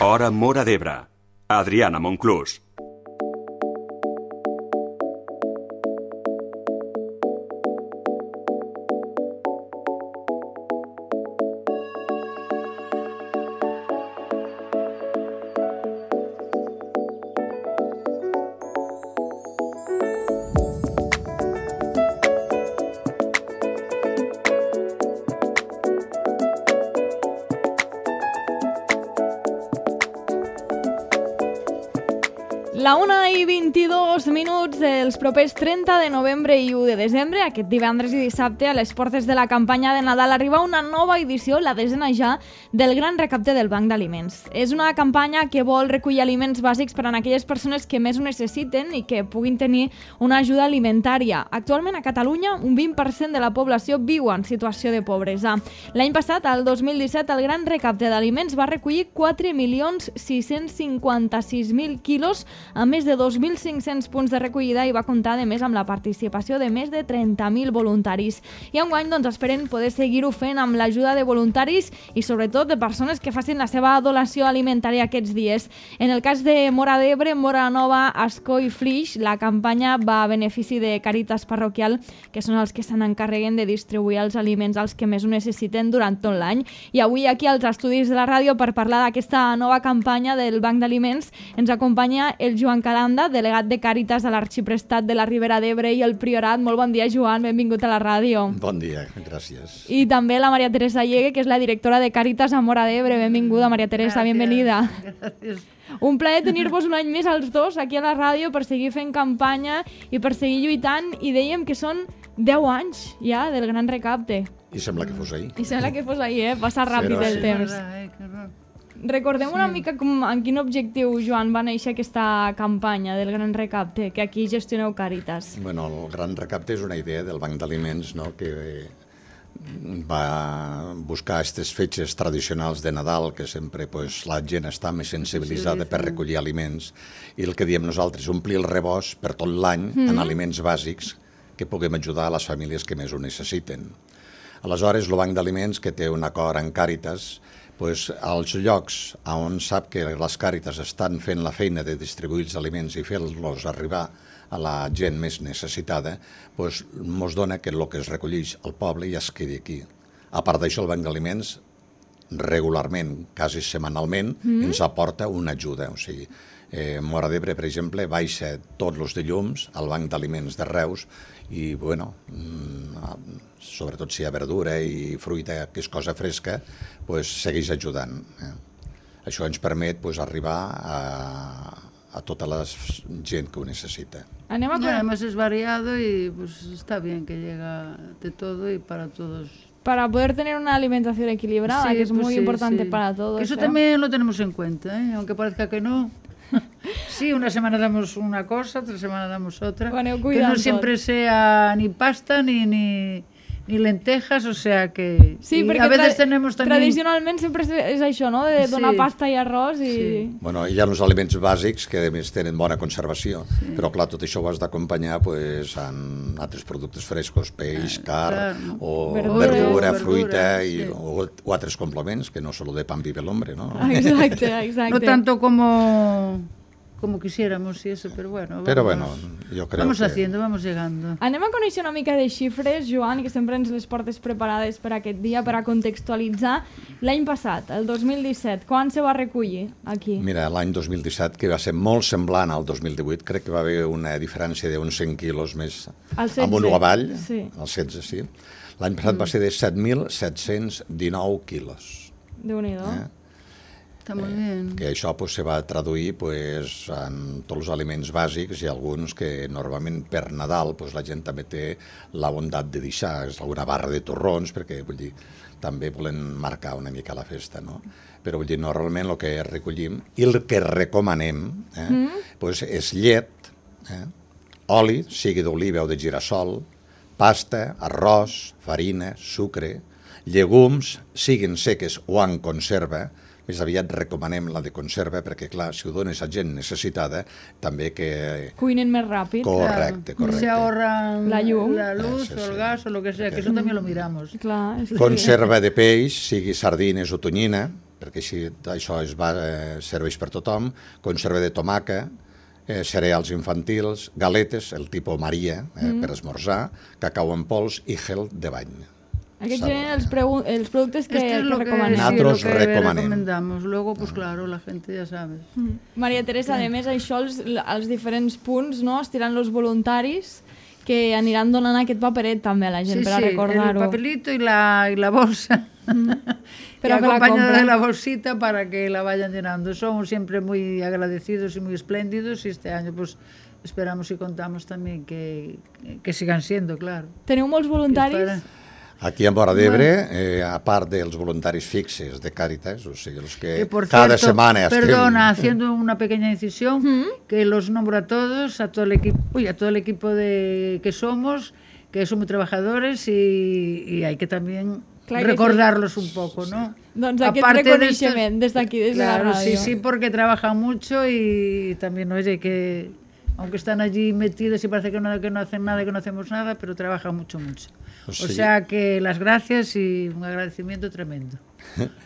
Hora Móra d'Ebre. Adriana Monclús. La 1:22 dels propers 30 de novembre i 1 de desembre, aquest divendres i dissabte, a les portes de la campanya de Nadal arriba una nova edició, la 10ª ja, del Gran Recapte del Banc d'Aliments. És una campanya que vol recollir aliments bàsics per a aquelles persones que més ho necessiten i que puguin tenir una ajuda alimentària. Actualment a Catalunya un 20% de la població viu en situació de pobresa. L'any passat, el 2017, el Gran Recapte d'Aliments va recollir 4.656.000 quilos amb més de 2.500 punts de recollida i va comptar, a més, amb la participació de més de 30.000 voluntaris. I enguany, esperen poder seguir-ho fent amb l'ajuda de voluntaris i, sobretot, de persones que facin la seva donació alimentària aquests dies. En el cas de Móra d'Ebre, Móra Nova, Ascó i Flix, la campanya va a benefici de Càritas Parroquial, que són els que se n'encarreguen de distribuir els aliments als que més ho necessiten durant tot l'any. I avui, aquí als estudis de la ràdio, per parlar d'aquesta nova campanya del Banc d'Aliments, ens acompanya el Joan Calanda, delegat de Càritas a l'Arxiprestat de la Ribera d'Ebre i el Priorat. Molt bon dia, Joan, benvingut a la ràdio. Bon dia, gràcies. I també la Maria Teresa Llegue, que és la directora de Càritas a Móra d'Ebre. Benvinguda, Maria Teresa, bienvenida. Gràcies. Un plaer tenir-vos un any més als dos aquí a la ràdio per seguir fent campanya i per seguir lluitant, i dèiem que són 10 anys ja del Gran Recapte. I sembla que fos ahir. I sembla que fos ahir, passa ràpid el temps. Recordem una mica en quin objectiu, Joan, va néixer aquesta campanya del Gran Recapte, que aquí gestioneu Càritas. Bueno, el Gran Recapte és una idea del Banc d'Aliments, no?, que va buscar aquestes fetges tradicionals de Nadal, que sempre la gent està més sensibilitzada per recollir aliments, i el que diem nosaltres, omplir el rebost per tot l'any en aliments bàsics que puguem ajudar a les famílies que més ho necessiten. Aleshores, el Banc d'Aliments, que té un acord amb Càritas, als llocs on sap que les Càritas estan fent la feina de distribuir els aliments i fer-los arribar a la gent més necessitada, ens dona que el que es recolleix al poble ja es quedi aquí. A part d'això, el Banc d'Aliments regularment, quasi setmanalment, ens aporta una ajuda. O sigui, Móra d'Ebre, per exemple, baixa tots els dilluns al Banc d'Aliments de Reus i, sobretot si hi ha verdura i fruita, que és cosa fresca, segueix ajudant. Això ens permet arribar a tota la gent que ho necesita. Además es variado y está bien que llega de todo y para todos. Para poder tener una alimentación equilibrada, sí, que es muy importante para todos. Eso también lo tenemos en cuenta, aunque parezca que no. Sí, una semana damos una cosa, otra semana damos otra. Bueno, que no siempre sea ni pasta ni lentejas, o sea que... Sí, perquè a veces tenemos también... tradicionalment sempre és això, no?, de donar pasta i arròs i... Sí. Bueno, hi ha uns aliments bàsics que a més tenen bona conservació, però clar, tot això ho has d'acompanyar amb altres productes frescos, peix, carn, o verdura, fruita o altres complements, que no solo de pan vive el hombre, ¿no? Exacte. No tanto como quisiéramos y eso, pero bueno, yo creo vamos haciendo, vamos llegando. Anem a conèixer una mica de xifres, Joan, que sempre ens les portes preparades per aquest dia, per a contextualitzar. L'any passat, el 2017, quan se va recollir aquí? Mira, l'any 2017, que va ser molt semblant al 2018, crec que va haver una diferència d'uns 100 quilos més amunt o avall, el 16, sí. L'any passat va ser de 7.719 quilos. Déu-n'hi-do. Està molt bé. Que això se va traduir en tots els aliments bàsics i alguns que normalment per Nadal la gent també té la bondat de deixar alguna barra de torrons, perquè també volen marcar una mica la festa, no? Però normalment el que recollim i el que recomanem és llet, oli, sigui d'oliva o de girassol, pasta, arròs, farina, sucre, llegums, siguin seques o en conserva. Més aviat recomanem la de conserva perquè, clar, si ho dones a gent necessitada, també que... cuinen més ràpid. Correcte. Se ahorran la llum, la luz o el gas o lo que sea, que eso también lo miramos. Clar, conserva de peix, sigui sardines o tonyina, perquè així això serveix per tothom, conserva de tomaca, cereals infantils, galetes, el tipus Maria, per esmorzar, cacau en pols i gel de bany. Aquests serien els productes que recomanem. Nosaltres Sí, lo que recomanem. recomendamos. Luego, pues claro, la gente ya sabe. Maria Teresa, a més, això als diferents punts, no?, estiran els voluntaris que aniran donant aquest paperet també a la gent, Sí, per a sí, recordar-ho. el papelito y la bolsa. Que Pero que la acompañada compren. de la bolsita para que la vayan llenando. Somos siempre muy agradecidos y muy espléndidos y este año pues esperamos y contamos también que sigan siendo, claro. Teniu molts voluntaris? Aquí a Móra d'Ebre, a part dels voluntaris fixes de Càritas, o sigui, els que por cada cierto, setmana estem... Perdona, haciendo una pequeña incisión, que los nombro a todos, a todo el equipo que somos muy trabajadores y hay que también Clar que recordarlos un poco, ¿no? Doncs aquest Aparte de reconeixement des d'aquí, des de la Claro, ràdio. sí, porque trabajan mucho y también, oye, que aunque están allí metidos y parece que no hacen nada, que no hacemos nada, pero trabajan mucho. Pues O sí. sea que las gracias y un agradecimiento tremendo.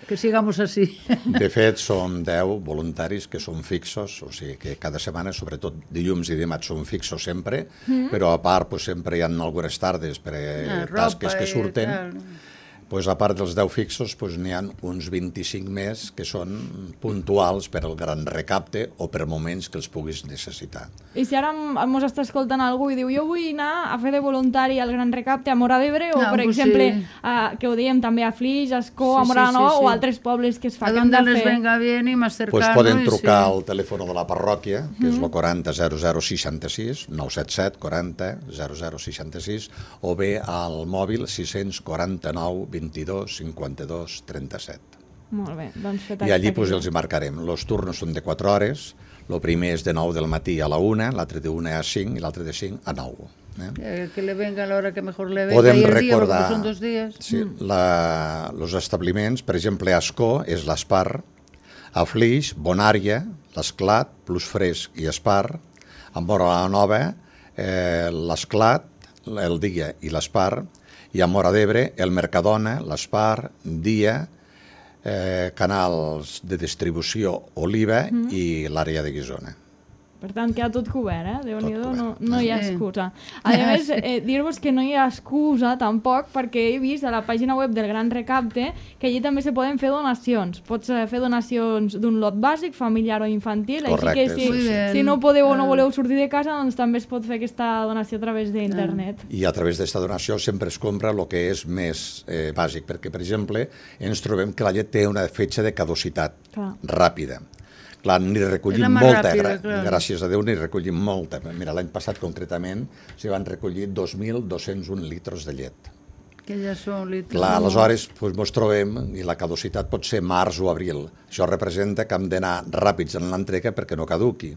Que sigamos así. De fet, som 10 voluntaris que són fixos, o sigui que cada setmana, sobretot dilluns i dimarts, són fixos sempre, però a part pues, sempre hi ha algunes tardes per tasques que surten. Pues, a part dels 10 fixos, pues, n'hi ha uns 25 més que són puntuals per al gran recapte o per moments que els puguis necessitar. I si ara mos està escoltant algú i diu jo vull anar a fer de voluntari al Gran Recapte a Móra d'Ebre o, per pues exemple, sí. que ho dèiem també a Flix, a Escó, a Sí, Móra sí, Nova sí, sí. o altres pobles que es fa A que han donde de les fer. venga bien y más cercano. Pues poden y trucar sí. al telèfon de la parròquia, que és el 40 0066, 977 40 0066, o bé al mòbil 649 22 52 37. Molt bé, doncs fet I allí pues, els hi marcarem. Els turnos són de 4 hores, el primer és de 9 del matí a la 1, l'altre de 1 a 5 i l'altre de 5 a 9. Que le venga a la hora que mejor le venga Podem y el día, recordar porque son 2 días. sí, els establiments, per exemple, a Escó és l'Espar, a Flix, Bonària, l'Esclat, Plus Fresc i Espar, a Móra la Nova, l'Esclat, el Dia i l'Espar, i a Móra d'Ebre, el Mercadona, l'Espar, Dia, canals de distribució Oliva i l'àrea de Guissona. Per tant, queda tot cobert, Déu-n'hi-do, cobert. no hi ha Sí. excusa. A més, dir-vos que no hi ha excusa tampoc perquè he vist a la pàgina web del Gran Recapte que allí també se poden fer donacions. Pots fer donacions d'un lot bàsic, familiar o infantil, Correcte, així que Muy bien. si no podeu o no voleu sortir de casa, doncs també es pot fer aquesta donació a través d'internet. I a través d'aquesta donació sempre es compra el que és més bàsic, perquè, per exemple, ens trobem que la llet té una fetge de caducitat Clar. ràpida. Clar, n'hi recollim És la més molta, ràpida, clar. gràcies a Déu n'hi recollim molta. Mira, l'any passat concretament s'hi van recollir 2.201 litres de llet. Que ja són litros. Clar, aleshores doncs, ens trobem i la caducitat pot ser març o abril. Això representa que hem d'anar ràpids en l'entrega perquè no caduqui.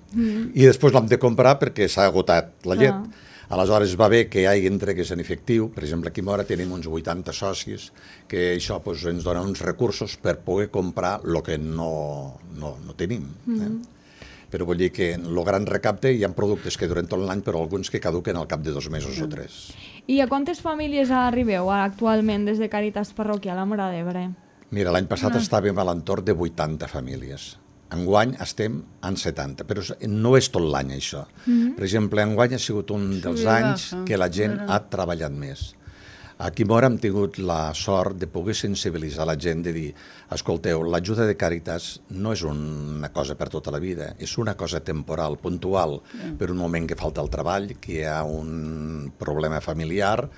I després l'hem de comprar perquè s'ha agotat la llet. Aleshores va bé que hi hagi entregues en efectiu. Per exemple, aquí a Móra tenim uns 80 socis que això doncs, ens dona uns recursos per poder comprar el que no tenim. Però vull dir que en el gran recapte hi ha productes que duren tot l'any, però alguns que caduquen al cap de 2 mesos o 3. I a quantes famílies arribeu actualment des de Càritas Parroquial a Móra d'Ebre? Mira, l'any passat estàvem a l'entorn de 80 famílies. Enguany estem en 70, però no és tot l'any això. Per exemple, enguany ha sigut un dels anys que la gent ha treballat més. Aquí a Móra hem tingut la sort de poder sensibilitzar la gent, de dir, escolteu, l'ajuda de Càritas no és una cosa per tota la vida, és una cosa temporal, puntual, per un moment que falta el treball, que hi ha un problema familiar,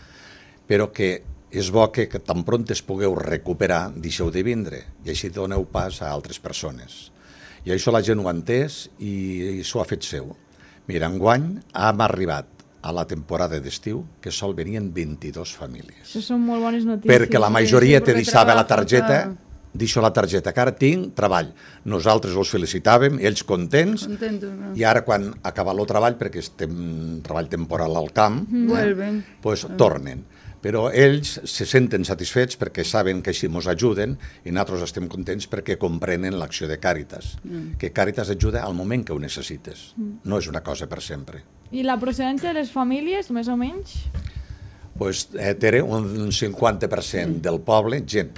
però que és bo que tan pront es pugueu recuperar, deixeu de vindre, i així doneu pas a altres persones. I això la gent ho ha entès i s'ho ha fet seu. Mira, enguany hem arribat a la temporada d'estiu que sol venien 22 famílies. Això són molt bones notícies. Perquè la majoria te perquè deixava la trabaja, targeta, clar. deixo la targeta, que ara tinc treball. Nosaltres els felicitàvem, ells contents, Contentos, ¿no? i ara quan acaba el treball, perquè estem treball temporal al camp, Vuelven. pues, tornen. Però ells se senten satisfets perquè saben que així ens ajuden i nosaltres estem contents perquè comprenen l'acció de Càritas, que Càritas ajuda al moment que ho necessites, no és una cosa per sempre. I la procedència de les famílies, més o menys? Pues, Tere, un 50% del poble, gent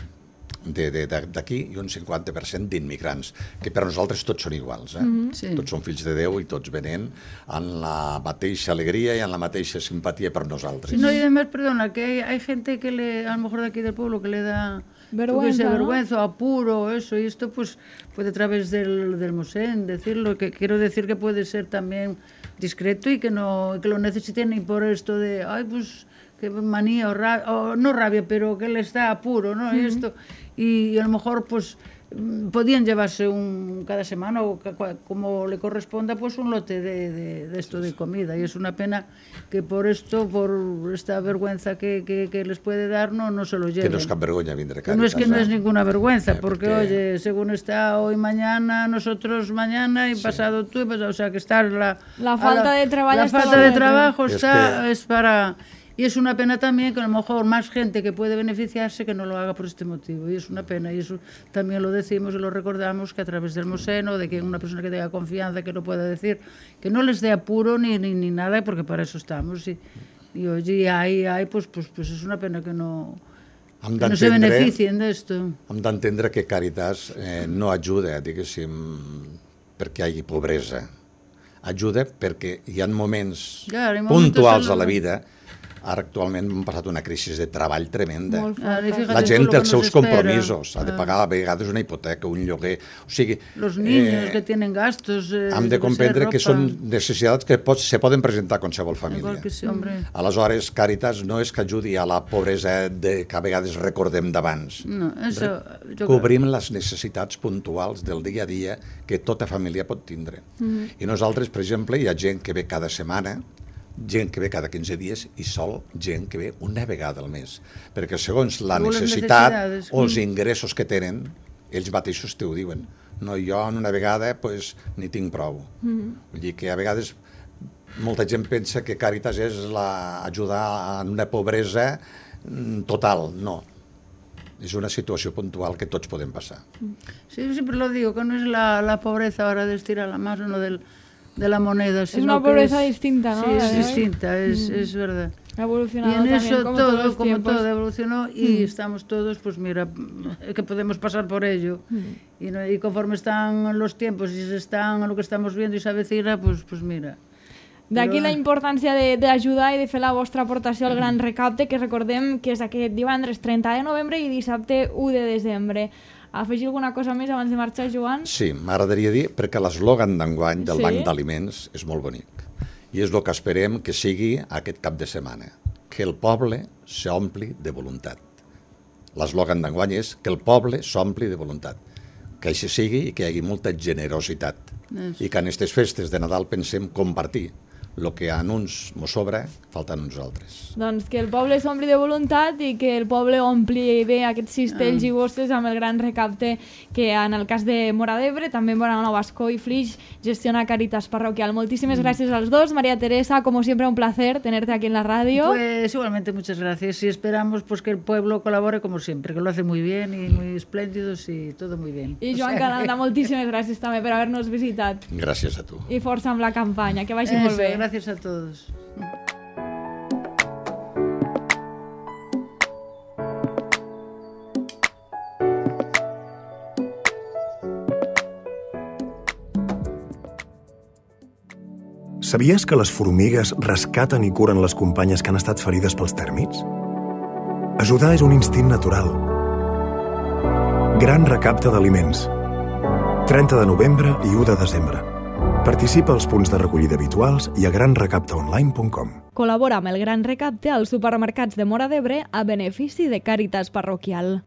d'aquí i un 50% d'immigrants, que per nosaltres tots són iguals. Sí. Tots són fills de Déu i tots venen amb la mateixa alegria i amb la mateixa simpatia per nosaltres. No, y además, perdona, que hay gente que a lo mejor de aquí del pueblo, que le da Vergüenza, ¿no? vergüenza o apuro, eso, y esto pues puede a través del Mosén decirlo, que quiero decir que puede ser también discreto y que lo necesiten ni por esto de, ay, pues que manía o rabia, o no rabia, pero que les da apuro, ¿no? Y esto, y a lo mejor pues podían llevarse cada semana o como le corresponda, pues un lote de esto de comida, y es una pena que por esta vergüenza que les puede dar no se lo lleven. Que no es cap vergonya vindre Càritas. No es que no es ninguna vergüenza, porque oye, según está hoy mañana, nosotros mañana y pasado tú, o sea que está la falta de trabajo. La falta de trabajo es para... Y es una pena también que a lo mejor más gente que puede beneficiarse que no lo haga por este motivo. Y es una pena, y eso también lo decimos y lo recordamos, que a través del Moseno, de que una persona que tenga confianza, que lo pueda decir, que no les dé apuro ni nada, porque para eso estamos. Y oye, ahí pues es una pena que no se beneficien d'esto. Hem d'entendre que Càritas no ajuda, diguéssim, perquè hi hagi pobresa. Ajuda perquè hi ha moments puntuals a la vida. Ara actualment hem passat una crisi de treball tremenda. La gent té els seus compromisos, ha de pagar a vegades una hipoteca, un lloguer... O sigui, los niños que tienen gastos... hem de comprendre que són necessitats que se poden presentar a qualsevol família. Aleshores, Càritas no és que ajudi a la pobresa que a vegades recordem d'abans. Cobrim les necessitats puntuals del dia a dia que tota família pot tindre. I nosaltres, per exemple, hi ha gent que ve cada setmana, gent que ve cada 15 dies i sol gent que ve una vegada al mes, perquè segons la necessitat o els ingressos que tenen, ells mateixos t'ho diuen. No, jo en una vegada pues, ni tinc prou. Vull dir que a vegades molta gent pensa que Càritas és ajudar en una pobresa total. No. És una situació puntual que tots podem passar. Sí, siempre lo digo, que no es la pobreza ahora de estirar la mano de la moneda, sino es una pobreza distinta, ¿no? Sí, es distinta, es verdad. Ha evolucionado y en también, eso como todo evolucionó y estamos todos, pues mira, que podemos pasar por ello. Y conforme están los tiempos y se están lo que estamos viendo y se avecina, pues mira. D'aquí la importància d'ajudar i de fer la vostra aportació al Gran Recapte, que recordem que és aquest divendres 30 de novembre i dissabte 1 de desembre. Afegir alguna cosa més abans de marxar, Joan? Sí, m'agradaria dir, perquè l'eslògan d'enguany del Banc d'Aliments és molt bonic. I és el que esperem que sigui aquest cap de setmana. Que el poble s'ompli de voluntat. L'eslògan d'enguany és que el poble s'ompli de voluntat. Que així sigui i que hi hagi molta generositat. I que en aquestes festes de Nadal pensem compartir. El que a uns mos sobra, falta a nosaltres. Doncs que el poble s'ompli de voluntat i que el poble ompli bé aquests cistells i bosses amb el Gran Recapte que en el cas de Móra d'Ebre, també en Bonanova, Ascó i Flix, gestiona Càritas Parroquial. Moltíssimes gràcies als dos. María Teresa, como siempre, un placer tenerte aquí en la radio. Pues igualmente muchas gracias y esperamos pues que el pueblo colabore como siempre, que lo hace muy bien y muy espléndidos y todo muy bien. I Joan Calanda, moltíssimes gràcies també per haver-nos visitat. Gràcies a tu. I força amb la campanya, que vagi molt bé. Gracias a todos. Sabies que les formigues rescaten i curen les companyes que han estat ferides pels tèrmits? Ajudar és un instint natural. Gran recapte d'aliments. 30 de novembre i 1 de desembre. Participa als punts de recollida habituals i a granrecaptaonline.com. Col·labora amb el Gran Recapte als supermercats de Móra d'Ebre a benefici de Càritas Parroquial.